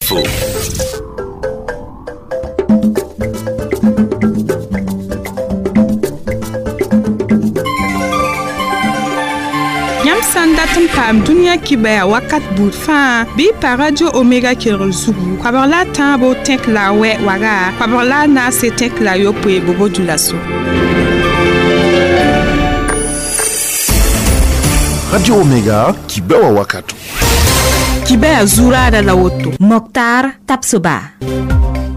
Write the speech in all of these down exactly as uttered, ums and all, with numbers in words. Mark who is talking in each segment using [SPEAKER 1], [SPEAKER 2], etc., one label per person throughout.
[SPEAKER 1] Info.
[SPEAKER 2] Yãmb sã n dat n paam dũniyã kibaya wakat buud fãa bɩ pa Radio Omega kelgr zugu koabg la a tãabo tẽk la a wɛ waga koabg la a naase tẽk la a yopoe bobo-dioulasso.
[SPEAKER 1] Radio Omega kibewa wakato.
[SPEAKER 2] Kibaya zuraada la woto.
[SPEAKER 3] Mokhtar Tapsoba.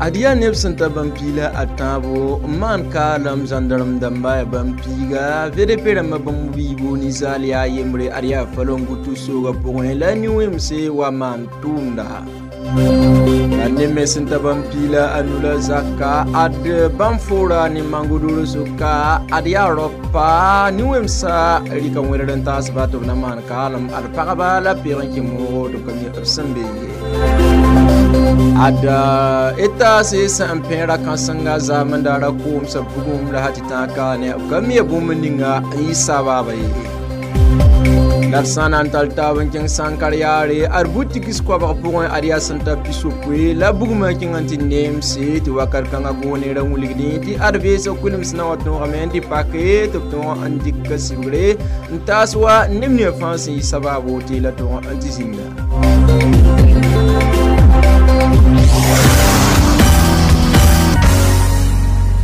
[SPEAKER 4] Adiya neb sẽn ta bãmb piila a tãabo n maan kaalem zãndarem dãmba yaa bãmb piiga V D P rãmbã bãmb wiibo ninsaal yaa yembre ad yaa falongutu soogã pʋgẽ la nin-wẽmse wa maan tʋʋmda la neb me sẽn ta bãmb piila a nu la zaka ad bãmb foora ne mangodoro soka ad yaa raopa nin-wẽmsa rɩka wẽdr n taasba tɩ b na maan kaalem ad pagba la peeg n kẽ moogo tɩ b ka mi b sẽn be ye ad eta se sẽn pẽera kãsenga zaamendara koomsa bugum la tɩ tãag ka ne b ka mi bũmb ninga n yɩ sabaaba ye la d sã n na n tall taab n kẽng sãnkar yaare ad butikis koabg pʋgẽ ad yaa sẽn ta pisopoe la bugmã kẽng n tɩ neemse tɩ wakat kãngã goonera wilgdẽ tɩ ad veesg kulems na wã tõogame n tɩ pake tɩ b tõog n dɩk sibgre n taas wa neb ne fãa sẽn yɩ sabaabo tɩ la tõog n tɩ zĩnda.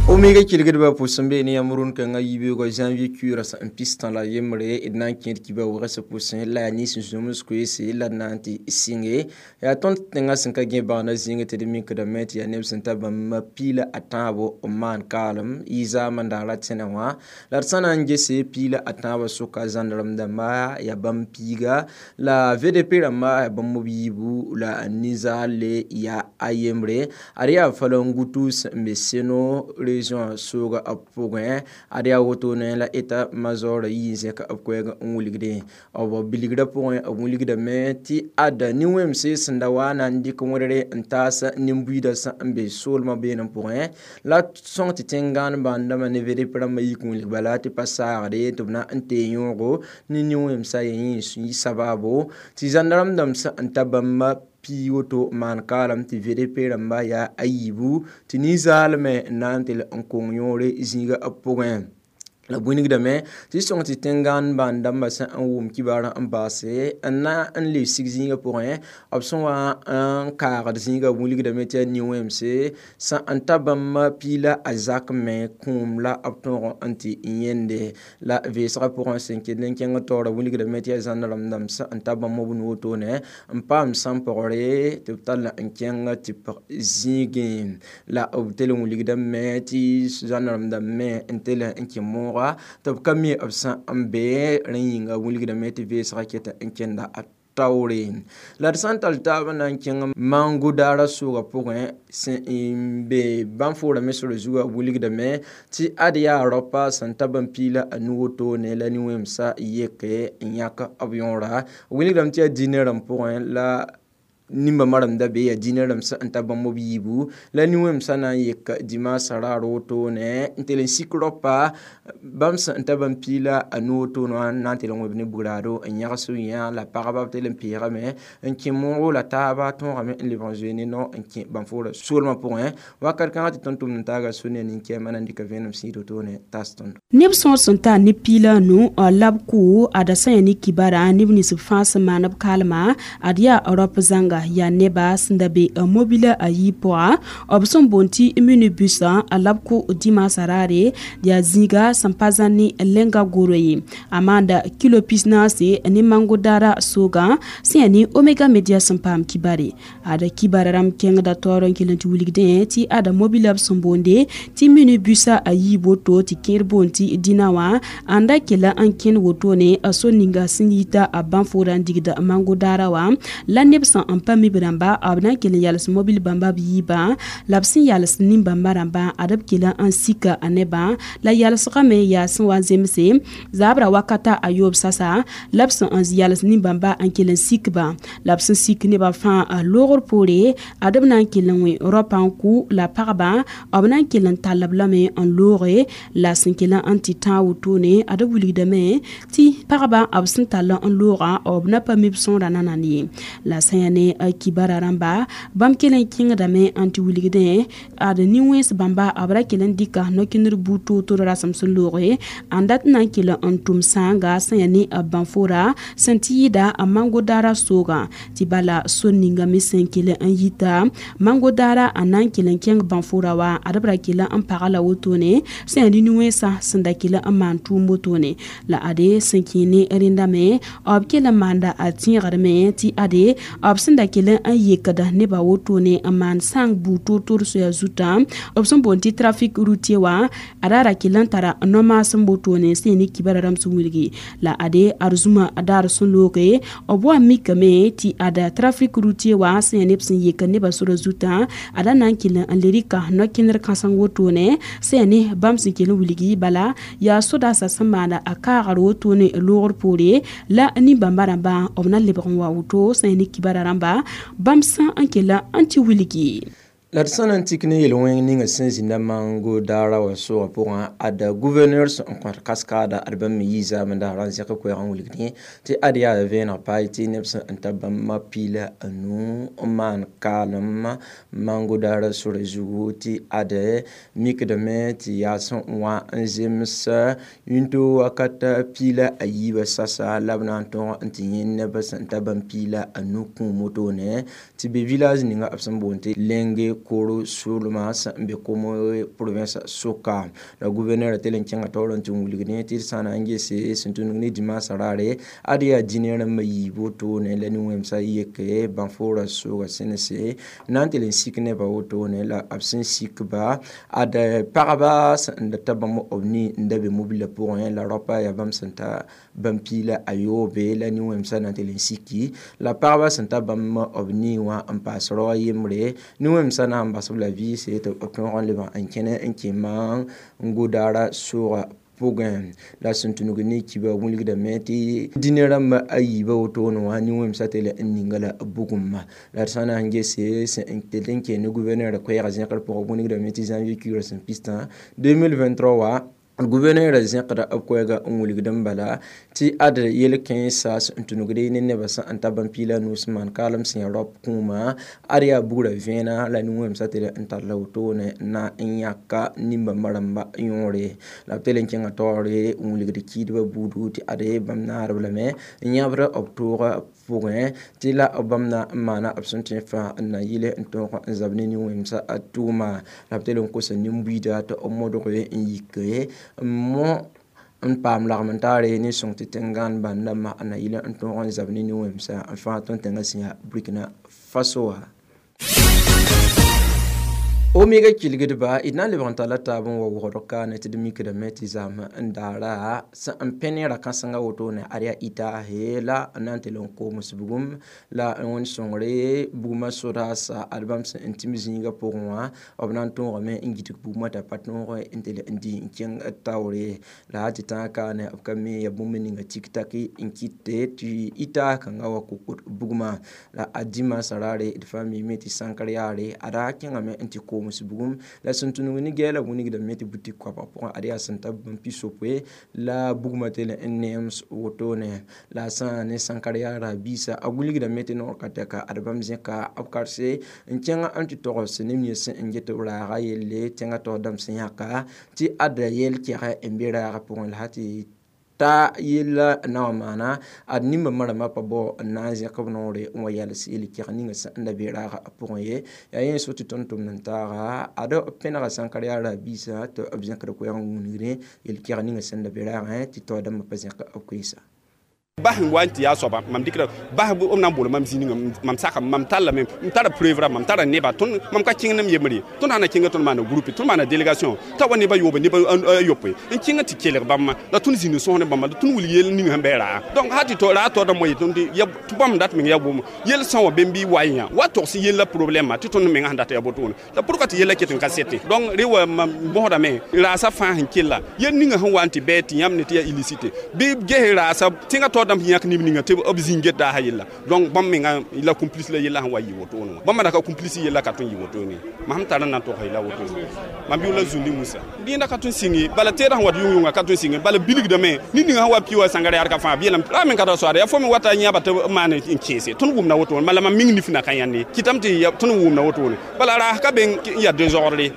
[SPEAKER 4] Omega kelgdbã pʋsẽ be ne yãmb rũn-kãngã yibeoogã janvier kuiirã sẽn pistã la yembre d na n kẽed kiba wgsã pʋsẽ la yaa nins zũms koeese la d na n tɩ sɩnge yaa tõnd tẽngã sẽn ka gẽ bãgna zĩnga tɩ d mikdame tɩ yaa neb sẽn ta bãmb piila a tãabo n maan kaalem yɩ zaamã daara tẽnã wã la d sã na n gese piila a tãabã sʋka zãndarem dãmba yaa bãmb piiga la V D P rãmba yaa bãmb b yiibu la ninsaal yaa a yembre ad yaa falongutu sẽn be seno région sooga b pʋgẽ ad yaa wotone la eta major yi n zẽk b koɛɛg n wilgdẽ b bilgrã pʋgẽ b wilgdame tɩ ad nin-wẽmse sẽn da wa na n dɩk wẽdre n taas nin-buiidã sẽn n be soolmã beenem pʋgẽ la sõng tɩ tẽn-gãan bãndãmã ne V D P rãmbã yik n wilg bala tɩ pa saagde tɩ b na n tee yõogo ne nin-wẽmsã yẽ yẽ sabaabo tɩ zãndarem dãmb sẽn n ta bãmb pii woto maan kaalem tɩ V D P rãmba yaa a yiibu tɩ ninsaalme n na n tɩ n kong yõore zĩiga b pʋgẽ la bũnigdame tɩ sõng tɩ tẽn-gãan bãn-dãmbã sẽn n wʋm kibaarã n baase n na n le sig zĩigã pʋgẽ b sẽn wa n kaagd zĩigã wilgdame tɩ yaa nin-wẽmse sẽn n ta bãmb piila a zak me kũum la b tõog n tɩ yẽnde la vɩɩsgã pʋgẽ sẽn kell n kẽng taoorã wilgdame tɩ yaa zãndarem dãmb sẽn n ta bãmb b nu-wotone n paam sãn-pɔgre tɩ b tall n kẽng tɩ pg zĩigẽ la b tell n wilgdame tɩ zãndarem dãmb me n tell n kẽ moogã tɩ b ka mi b sẽn n be rẽ yĩnga wilgdame tɩ vɩɩsgã ket n kẽnda a taoore la d sã n tall taab n na n kẽng mango daara soogã pʋgẽ sẽn n be bãmb foorame sor zugã wilgdame tɩ ad yaa raopa sẽn ta bãmb piila a nu-wotone la nin-wẽmsã yeke n yãk b yõora wilgdame tɩ yaa dĩnã rãmb pʋgẽ la nimba maram da be yaa dĩnã rãmb sẽn ta bãmb b yiibu la nin-wẽmsã na n yek dimaasã raar wotone n tɩ n sik raopa bãmb sẽn ta bãmb piila a nu-wotone wã n na n tɩ n wẽb ne bugraado n yãgs yã la pagba b tɩ n peegame n kẽ moogo la taaba tõogame n lebg n zoe ne nao n kẽ bãmb foora soolmã pʋgẽ wakat kãngã tɩ tõnd tʋmd n taaga sũ-ne nin-kɛɛmã na n dɩka vẽenem sĩid wotone taas tõndo
[SPEAKER 5] neb sõor sẽn tar ne piila nu la b kʋ ada sã yaa ne kibara neb nins b fãa sẽn maan b kaalema ad yaa rap zãnga yaa neba sẽn da be mobila a yii pʋga b sẽn boond tɩ minibus la b kʋ dimaasã raare yaa zĩiga sẽn pa zãn ne lenga goro ye a maanda kilo pis naase ne mango daara soogã sẽn yaa ne Omega Media sẽn paam kibare ada kibara rãmb kẽngda taoor n kell n tɩ wilgdẽ tɩ ada mobila b sẽn boonde tɩ minibusa a yii woto tɩ kẽer boond tɩ dĩnã wã ãnda kella n kẽnd wotone a so ninga sẽn yita a bãmb foora n digda mango daara wã la neb sẽn n pa mi b rãmba b na n kell n yals mobil bãmba b yiibã la b sẽn yals nin-bãmba rãmbã ad b kell n sika a nebã la yalsgame yaa sẽn wa n zemse zaabra wakata a yoob sasa la b sẽn n yals nin-bãmba n kell n sikba la b sẽn sik nebã fãa loogr poore ad b na n kell n wẽ raopã n kʋ la pagba b na n kell n tall b lame n looge la sẽn kell n tɩ tãag wotone ad b wilgdame tɩ pagba b sẽn tall n loogã b na pa mi b sõora nanand ye la sã yaa ne kibara rãmba bãmb kell n kẽngdame n tɩ wilgdẽ ad nin-wẽns bãmba b ra kell n dɩka no-kẽndr buud toor-toor rasem sẽn looge n dat n na n kell n tʋm sãanga sẽn yaa ne bãnfora sẽn tɩ yɩɩda mango daara soogã tɩ bala sor ninga me sẽn kell n yita mango daara n na n kell n kẽng bãnfora wa ad b ra kell n paga la wotone sẽn yaa ne nin-wẽnsã sẽn da kell n maan tʋʋm wotone la ade sẽn kẽ ne rẽnda me b kell n maanda a tẽegdme tɩ ade b sẽn da kell n yekda nebã wotone n maan sãng buud toor-toor soya zutã b sẽn boond tɩ trafic routier wã ada ra kell n tara no-maasem wotone sẽn yaa ne kibara rãmb sẽn wilgi la ade ad zũma daar sẽn looge b wa mikame tɩ ada trafic routier wã sẽn yaa neb sẽn yek nebã sora zutã ada na n kell n le rɩka no-kẽndr kãseng wotone sẽn yaa ne bãmb sẽn kell n wilgi bala yaa sodaasã sẽn maanda a kaagr wotone loogr poore la nin-bãmba rãmbã b na lebg n wa woto sẽn yaa ne kibara rãmba bãmb sã n kell n tɩ wilgi.
[SPEAKER 4] La d sã na n tik ne yel-wẽng ninga sẽn zĩnda mango daara wã soogã pʋgã ad gouverneur sẽn kõt kaskaada ad bãmb me yɩ zaamẽ daara n zẽk koɛɛg n wilgdẽ tɩ ad yaa vẽeneg paay tɩ neb sẽn n ta bãmb piila a nu n maan kaalem mango daara sora zugu tɩ ad mikdame tɩ yaa sẽn wã n zems yĩnto wakat piila a yiibã sasa la b na n tõog n tɩ yẽ neb sẽn ta bãmb piila a nu kũum wotone tɩ be village ninga b sẽn boond tɩ Lenge koro solma sẽn be Komo province soka la gouverneur tɩ l n kẽnga taoor n tɩ wilg ne tɩ d sã na n gese sẽn tũnug ne dimaasã raare ad yaa dĩnã rãmbã yiib wotone la nin-wẽmsã yeke bãnfoorã sooga sẽnese na n tɩ l n sik nebã wotone la b sẽn sikba ad pagba sẽn da ta bãmb b ni n da be mobilã pʋgẽ la raopa yaa bãmb sẽn ta bãmb piila a yoobe la nin-wẽmsã na n tɩ l n siki la pagba sẽn ta bãmb b ni wã n paas rao a yembre nin-wẽmsã na n bas b la vɩɩse tɩ b tõog n leb n kẽne n kẽ mango daara soogã pʋgẽ la sẽn tũnug ne kiba wilgdame tɩ dĩnã rãmba a yiibã wotone wã nin-wẽmsã tɩ la n ninga la bugumma la d sã na n gese sẽn tɩ n kẽ ne gouverneur koɛɛgã zẽkr pʋgã wilgdame tɩ janvier kuigrã sẽn pistã deux mille vingt-trois wa gouverneur zẽkda b koɛɛga n wilgd n bala tɩ ad yel-kẽensã sẽn tũnugde ne nebã sẽn n ta bãmb piila nuus n maan kaalem sẽn yaa raop kũuma ad yaa bugrã vẽena la nin-wẽmsã tɩ n tar la wotone na n yãka nin-bãmba rãmba yõore la b tɩ l n kẽnga taoore n wilgd kiidbã buudu tɩ ade bãmb naarb lame n yãbd b toogã pʋgẽ tɩ la bãmb na n maana b sẽn tõe fãa n na yɩl n tõog n zab ne nin-wẽmsã tʋʋma la b tɩ l n kosa nin-buiida tɩ b modg n yike n mo n paam lagm n taare ne sõng tɩ tẽn-gãan bãnda ma n na yɩl n tõog n zab ne nin-wẽmsã n fãa tõnd tẽngã sẽn yaa Burkina Faso wã. Omega kilgdba d na n lebg n talla taab n wa wʋgd kaane tɩ d mikdame tɩ zãm n daara sẽn n pẽ ne ra-kãsengã wotone ad yaa itaase la n na n tɩ l n koms bugum la n wẽnd sõngre bugmã sodaasa ad bãmb sẽn n tɩm zĩigã pʋgẽ wã b na n tõogame n gidg bugmã t'a pa tõog n tɩ l n dɩ n kẽng taoore la tɩ tãag kaane b ka me ya bũmb ninga tik-taki n kɩte tɩ itaas kãngã wa kokot bugmã la a dimaasã raare d fãa mime tɩ sãnkr yaare ada kẽngame n tɩ koom bugum la sẽn tũnug ne gɛɛla wingdame tɩ butik koabg pʋgẽ ad yaa sẽn ta bãmb pi-sopoe la bugmã tɩ n neems wotone la a sã ne sãnkar yaara biisa a wilgdame tɩ noor ka tɛka ad bãmb zẽka b karse n kẽng n tɩ togs neb nins sẽn get b raaga yelle tẽngã taoor dãmb sẽn yãka tɩ ad yɛl kɛgɛ n be raagã pʋgẽ la tɩ ta yella na wã maana ad nin-bãmbã rãmbã pa bao n na n zẽk b noore n wa yals yel-kɛg ninga sẽn da be raagã pʋgẽ ye yaa yẽ so tɩ tõnd tʋmd n taaga ad pẽnega sãnkar yaara biisã tɩ b zẽkd koɛɛg n wingdẽ yel-kɛg ninga sẽn da be raagẽ tɩ taoor dãmbã pa zẽk b koeesa.
[SPEAKER 6] Bas n wa n tɩ yaa soaba mam dɩkra bas b na n bool mam zĩ ninga mam saka mam tallame m tara preuve ra mam tara neba tõnd mam ka kẽng nem yembre tõnd sã na kẽnga tõnd maana groupe tõnd maana délégation t'a wa neba yoobe neba a yopoe n kẽnga tɩ kelg bãmba la tõnd zĩnd sõs ne bãmba la tõnd wilg yel ning sẽn bɩ raa donc hal tɩ raa taoodã moa yetõnd tɩ bãmb dat meng yaa bʋʋm yel sã wã bẽmb bɩ wa yã wa togs yella problème tɩ tõnd menga sẽn dat yaa botone la pourquoi tɩ yella ket n ka sete donc re wa mam bõsdame raasa fãa sẽn kella yel ninga sẽn wa n tɩ bɩ tɩ yãmb ne tɩ yaa illicite bɩ ges raasa tẽngã taoor. dãmb yãk neb ninga tɩ b zĩig get daasã yella donc bãmb menga la complice la yella sẽn wa yɩ wotone wã bãmb da ka complice yella ka tõe n yɩ wotone mam sẽn tar n na n togs yella wotone mam yʋʋla zũndi Musa dẽnda ka tõe n sɩng bala teedã sẽn wat yʋng-yʋnga ka tõe n sɩng bala bilgdame ned ninga sẽn wa pi wa sãngar yaa ka fãa b yeelame ra me ka ra soaada yaa fo me wata yãba tɩ b maan n kẽese tõnd wʋmda wotone bala mam ming nif na ka yãnde kɩtame tɩ tõnd wʋmda wotone bala raas ka be n yaa dezordre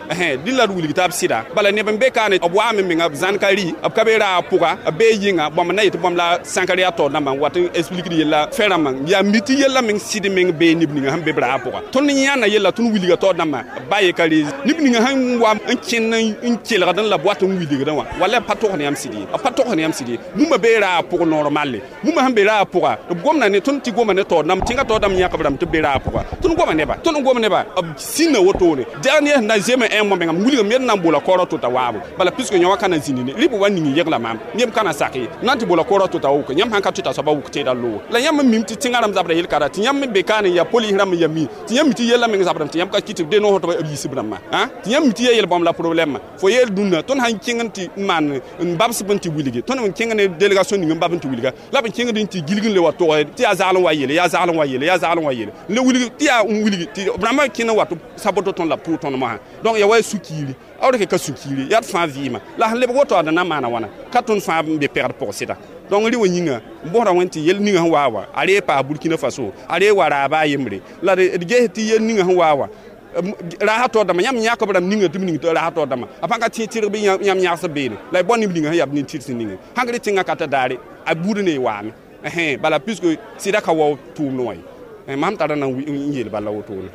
[SPEAKER 6] dɩ la d wilg t'a b sɩda bala neb n be kaane b waame menga b zãn ka rɩ b ka be raag pʋga b bee yɩnga bãmb na yetɩ bãmb la sãnkar yaa taoor dãmbã n wat n expliquer yella fẽ rãmbã yaa mi tɩ yella meng sɩd meng bee neb ninga sẽn be b raag pʋga tõnd yãna yella tõnd wilga taoor dãmbã ba ye ka rees neb ninga sẽn wa n kẽnd n kelgd n la b wat n wilgdẽ wã wala b pa togs ne yãmb sɩd ye b pa togs ne yãmb sɩd ye bũmba bee raag pʋg normalle bũmba sẽn be raag pʋga b gomda ne tõnd tɩ goma ne taoor dãmb tẽngã taoor dãmb yãk b rãmb tɩ b be raag pʋga tõnd goma neba tõnd gom neba b sĩnda wotone dernier na zeme un mois menga wilgame ned na n boola kaoorã to t'a waabo bala puisque yõ wã ka na zĩndi ne rɩ b wa ning yegla maam yẽmb ka na sak ye na n tɩ boola kaoorã to t'a wʋk yãmb sãn ka tɩ t'a soaba wʋk teeda loogo la yãmb n mim tɩ tẽngã rãmb zabra yel-kara tɩ yãmb me be kaane ya polis rãmb n ya mi tɩ yãmb mi tɩ yella meng zabrame tɩ yãmb ka kɩ tɩ de noos tɩ b yiisb rãmbã tɩ yãmb mi tɩ ya yel-bãmb la problème fo yeel dũnna tõnd sãn kẽng n tɩ maan n babsb n tɩ wilge tõnd n kẽng ne délégation ning n bab n tɩ wilga la b n kẽngd n tɩ gilg n le wa tog tɩ yaa zagl n wa yeele yaa zagl n wa yeele yaa zagl n wa yeele n le wilg tɩ yaa n wilg tɩ b rãmbã kẽnd n wa tɩ saboto tõnd la b tʋʋg tõnd mosã donc ya wa sũ-kiiri a rek ka sũ-kiiri yaa d fãa vɩɩmã la sẽn lebg woto ad na maana wãna ka tõnd fãa n be pɛgd pʋg sɩda donc rɩ wã yĩnga n bosda wẽn tɩ yel ninga sẽn waa wa a ree paas Burkina Faso a ree wa raaba a yembre la d ges tɩ yel ninga sẽn waa wa raasa taoor dãmbã yãmb yãk b rãmb ninga tɩ b ning tɩ raasa taoor dãmbã a pãn ka tẽ tɩrg bɩ yãmb yãgs beene la y bao neb ninga sẽn yaa b nin-tɩrs ninge sãn rɩ tẽngã ka ta daare a buud ne y waame bala puisque sɩda ka wao tʋʋmd wã ye mam tara na n yeel bala wotone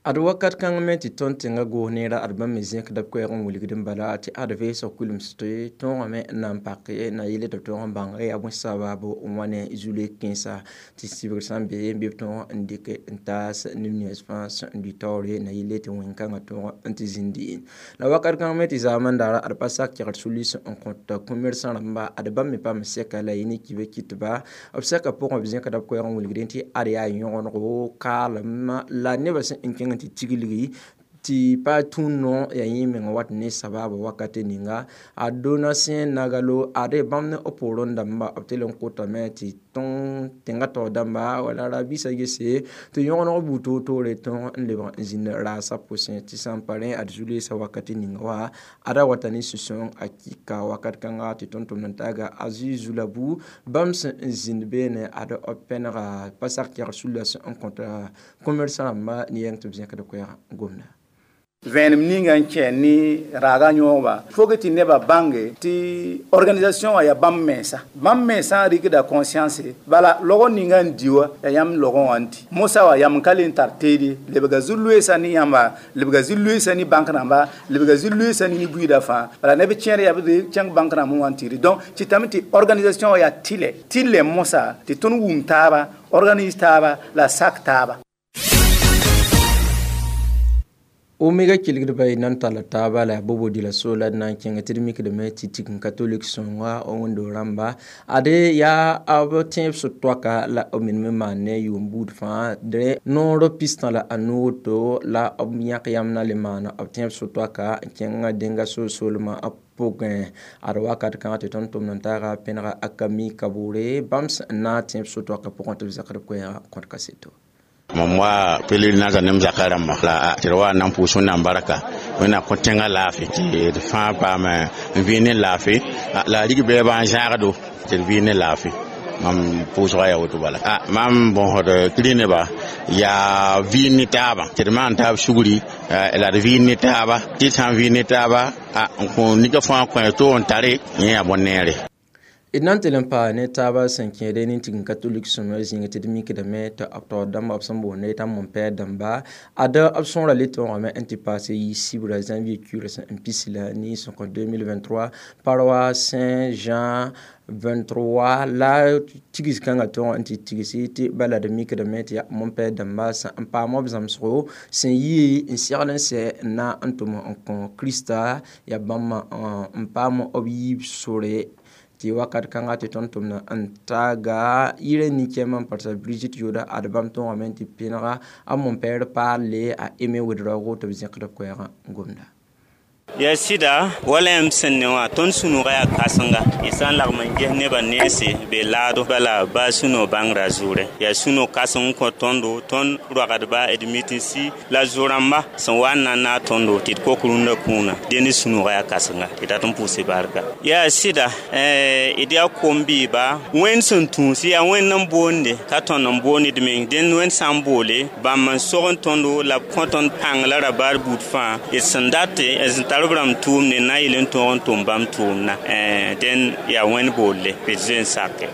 [SPEAKER 4] ad wakat kãng me tɩ tõnd tẽngã goos neera ad bãmb me zẽkda b koɛɛg n wilgd n bala tɩ ad veesg kulemsd tõogame n na n pak na yelle tɩ b tõog n bãng yaa bõe sabaabo n wa ne zule kẽnsa tɩ sɩbgr sã n be n bɩ b tõog n dɩk n taas neb nins fãa sẽn n lʋɩ taoore na yelle tɩ wẽn-kãngã tõog n tɩ zĩndi la wakat kãng me tɩ zaamã daara ad pa sak kɛgd sulis n kõt kõ-mersã rãmba ad bãmb me paam sɛka la yẽ ne kibe kɩtba b sɛka pʋgẽ b zẽkda b koɛɛg n wilgdẽ tɩ ad yaa yõgenego kaalem la nebã sẽn n kẽng tɩ tiglgi tɩ pa tũud no ya yẽ meng wat ne sabaaba wakate ninga a Donatien Nagalo ade bãmb ne b poorẽ dãmba b tɩ l n kotame tɩ tõng tẽngã taoor dãmba wala ra-biisã gese tɩ yõgeneg buud toor-toore tõog n lebg n zĩnd raasã pʋsẽ tɩ sã n pa rẽ ad zu-loeesã wakate ninga wa ada wata ne sũ-sãoong a kɩka wakat kãnga tɩ tõnd-tʋmd n taaga Aziz Zulabu bãmb sẽn n zĩnd beene ad b pẽnega pa sak kɛgd sulla sẽn n kõt commerçant rãmba ne yɛng tɩ b zẽkd koɛɛg gomda
[SPEAKER 7] vẽenem ninga n kẽ ne raaga yõogba fo tɩ nebã bãnge tɩ organisation wã yaa bãmb mensã bãmb mensã rɩkda conscience bala logr ninga n di wã yaa yãmb logẽ wã n di mosã wã yam n ka le n tar teede lebga zu-loeesã ne yãmba lebga zu-loeesã ne bãnk rãmba lebga zu-loeesã ne ne buiidã fãa bala neb kẽer yaa b kẽng bãnk rãmb wã n tɩ donc tɩ tame tɩ organisation wã yaa tɩlɛ tɩlɛ mosã tɩ tõnd wum taaba organise taaba la sak taaba
[SPEAKER 4] Omega kelgdba y nan talla taaba la bobo dila so la d na n kẽnga tɩ d mikdame tɩ tigim katolik sõnga wẽndo rãmba ade yaa b tẽeb so-toaka la b meneme maan ne yʋʋm buud fãa dẽ noor pistã la a woto la b yãk yãmb na le maana b tẽeb so-toaka n kẽnga dẽnga so-soolmã pʋgẽ ad wakat kãngã tɩ tõnd tʋmd n taaga pẽnega a Kami Kaboore bãmb sẽn na n tẽeb so-toakã pʋgẽ tɩ b zãkd koɛɛgã kõt kaseto
[SPEAKER 8] mam wa pèlerinage nem zakã rãmba la tɩ d wa n na n pʋʋs wẽnnaam barka wẽnnaam kõ tẽngã laafɩ tɩ d fãa paam n vɩɩ ne laafɩ la a rig bɛɛbã n zãagdo tɩ d vɩɩ ne laafɩ mam pʋʋsga yaa woto bala mam bõsd kri nebã yaa vɩɩn ne taabã tɩ d maan taab sugri la d vɩɩn ne taaba tɩ d sã n vɩɩn ne taaba n kõ nika fãa kõ to n tare yẽ yaa bõn-neere
[SPEAKER 4] d na n tɩ l n paa ne taaba sẽn kẽede nin-tigim katolik sõma zĩig tɩ d mikdame tɩ b taoor dãmba b sẽn boonde t'a mon-pɛɛr dãmba ad b sõora le tõogame n tɩ paase yi-sibra janvier kuirã sẽn n pis la ninsẽ kõ deux mille vingt-trois paroisse Saint-Jean vingt-trois la tigs kãngã tõog n tɩ tigsi tɩ bala d mikdame tɩ yaa mon-pɛɛr dãmba sẽn n paam b zãmsgo sẽn yi n segl n sɛ n na n tʋm n kõ Krista yaa bãmba n paam b yiib sore tɩ wakat kãngã tɩ tõnd tʋmd n taaga yirã nin-kẽemã n parsa Brigitte Yoda ad bãmb tõogame n tɩ pẽnega a mon-pɛɛr paalle a Aimé Ouédraogo tɩ b zẽkd b koɛɛgã gomda.
[SPEAKER 9] Yaa sɩda wala yãmb sẽn ne wã tõnd sũ-noogã yaa kãsenga y sã n lagm n ges nebã nense be laado bala baa sũ-noog bãngrã zʋʋrẽ yaa sũ-noog kãseng n kõ tõndo tõnd roagdba d mitinsi la zo-rãmba sẽn wa n na n naag tõndo tɩ d kok rũndã kũuna dẽnd sũ-noogã yaa kãsenga tɩ dat n pʋʋse barka yaa sɩda d yaa kom-bɩɩba wẽnd sẽn tũus yaa wẽnd n boonde ka tõnd n boond d meng dẽnd wẽnd sã n boole bãmb n sog n tõndo la b kõ tõnd pãng la ra baar buud fãa d sẽn date d sẽn tar b rãmb tʋʋmde na n yel n tõog n tʋm bãmb tʋʋmdã dẽn yaa wẽnd boolle d zoe n sake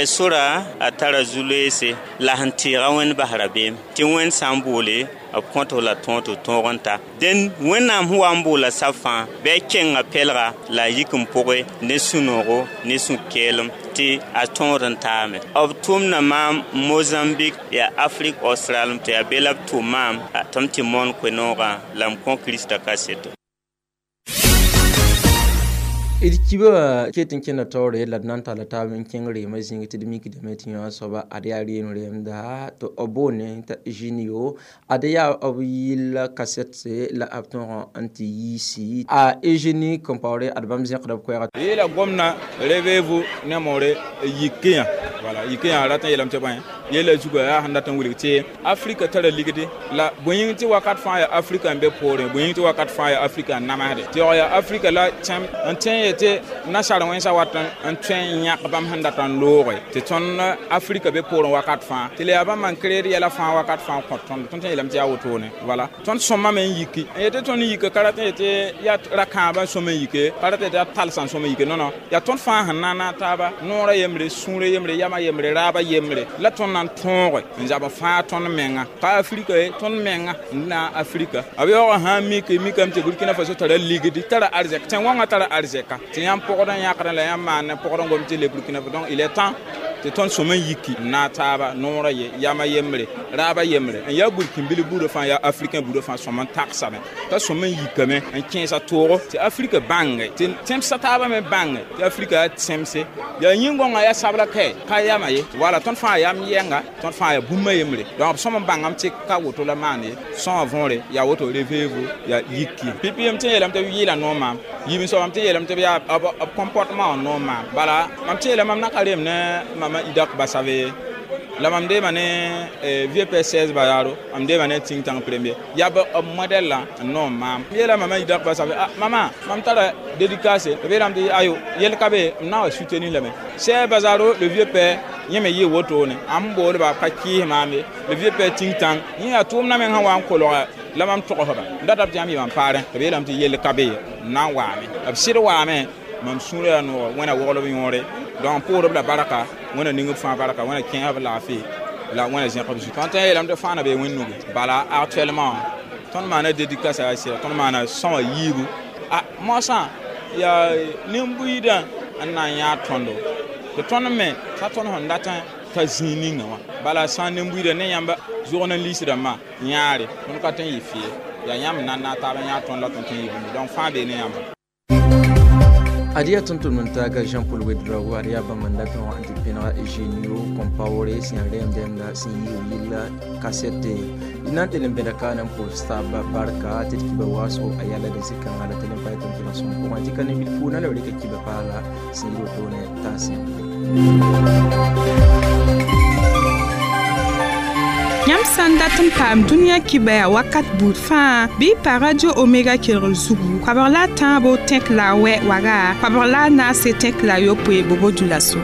[SPEAKER 9] sora a tara zu-loeese la sẽn tɩɩga wẽnd bas rabeem tɩ wẽnd sã n boole b kõt la tõog tɩ tõog n ta dẽn wẽnnaam sẽn wa n boola sab fãa bɩ a kenga pɛlga la a yik n pʋgẽ ne sũ-noogo ne sũ-keelem tɩ a tõod n taame b tʋmda maam Mozambique yaa Afrique australe tɩ yaa be la b tʋm maam tɩ m tɩ moon koe-noogã la m kõ Kirista kaseto.
[SPEAKER 4] D kiba ket n kẽnda taoore la d na n talla taab n kẽng reemã zĩig tɩ d mikdame tɩ yõ soaba ad yaa reem reemda tɩ b boone t'a Eugenio ad yaa b yɩl kasɛt la b tõog n tɩ yiisi a Eugénie Compaoré ad bãmb zẽkda b koɛɛga
[SPEAKER 10] yeela gomna réveillez-vous ne more yikiyã voilà yikiyã rat n yeelame tɩ bõe yella zuga yaa sẽn dat n wilg tɩ Afrika tara ligdi la bõe yĩng tɩ wakat fãa yaa Afrika n be poorẽ bõe yĩng tɩ wakat fãa yaa Afrika n namsde tɩ yaa Afrika la tẽm n tẽ yetɩ nasaar wẽnsã wat n tõe n yãk bãmb sẽn dat n looge tɩ tõnd Afrika be poorẽ wakat fãa tɩ la yaa bãmb n kreed yɛla fãa wakat fãa n kõt tõnd tõnd tẽ yeelame tɩ yaa wotone voilà tõnd sõmame n yiki n yetɩ tõnd yika ka rat n yetɩ yaa ra-kãabã n sõm n yike ka rat yetɩ yaa talsã n sõm n yike non non yaa tõnd fãa sẽn na n naag taaba noorã yembre sũurã yembre yamã yembre raabã yembre la tõnd na n tõoge n zab n fãa tõnd menga ka Afrika ye tõnd menga n na Afrika b yaoog sã n mik mikame tɩ Burkina Faso tara ligdi tara arzɛk tẽn-wãngã tara arzɛka tɩ yãmb pɔgd n yãkdẽ la yãmb maan ne pɔgd n gom tɩ le Burkina Faso donc il est temps tɩ tõnd sõm n yiki n naag taaba noorã ye yamã yembre raabã yembre n yaa burkĩnbil buudã fãa yaa africain buudã fãa sõm n tagsame t'a sõm n yikame n kẽesa toogo tɩ Afrika bãnge tɩ tẽmsã taabã me bãnge tɩ Afrika yaa tẽmse yaa yĩn-gõngã yaa sabla kae ka yama ye wala tõnd fãa yam yɛnga tõnd fãa yaa bũmba yembre donc b sõm n bãngame tɩ ka woto la maan ye sõa võore yaa woto réveillez-vous yaa yiki pipi m tɩ yeelame tɩ b yɩɩla noor maam yiib soabame tɩ yeelame tɩ b yaa b comportement wã noor maam bala mam tɩ yeelame mam na ka reem ne mama Idak Basave la mam deema ne vieux père seize Bazaro mam deema ne ting tang premier yaa b modèle la n noor maam yeela mama Idak Basave ah mama mam tara dédicace b yeelame tɩ ayo yel ka be m na wa soutenir lame Seize Bazaro le vieux père yẽ me yɩ wotone am boolba ka kɩɩs maam ye le vieux père ting tang yẽ yaa tʋʋmdã meng sẽn wa n kolga la mam togsba n datame tɩ yãmb yɩ mam paarẽ tɩ b yeelame tɩ yell ka be ye n na n waame b sɩd waame mam sũurã yaa noog wẽna woglb yõore donc pʋʋsd b la barka wẽna ning b fãa barka wẽna kẽes b laafɩ la wẽna zẽk b zu tõnd tẽ yeelame tɩ fãa na bee wẽnd nugu bala actuellement tõnd maana dédicace yaa sɩda tõnd maana sõma yiibu a moasã yaa nin-buiidã n na n yãag tõndo tɩ tõnd me t'a tõnd sẽn dat n ta zĩig ninga wã bala sã n nin-buiidã ne yãmb zʋgd n liis rãmbã yãare tõnd ka tõe n yɩ fɩ yaa yãmb n na n naag taab n yãag tõnd la tõnd tõe n yɩ bũmb donc fãa bee ne yãmba.
[SPEAKER 4] Adiya tõnd n taaga Jean-Paul Ouedraogo ad yaa bãmb n dat n wa n tɩ pẽnega Eugenio Compaoré sẽn yaa reem dɛmda sẽn yi yɩlla kasɛte d na n tɩ n bẽda kaana n pʋʋs taaba barka tɩ d kiba waasgo a yala d zĩ-kãnga la tɩ l n pa tɩ n kelg sõm pʋgẽ tɩ ka ne wilfu na la b rɩka kiba paala sẽn yɩ wotone taasẽ.
[SPEAKER 2] Yãmb sã n dat n paam dũniyã kibaya wakat buud fãa bɩ y pa Radio Omega kelgr zugu koabg la a tãabo tẽk la a wɛ waga koabg la a naase tẽk la a yopoe bobo dulaso.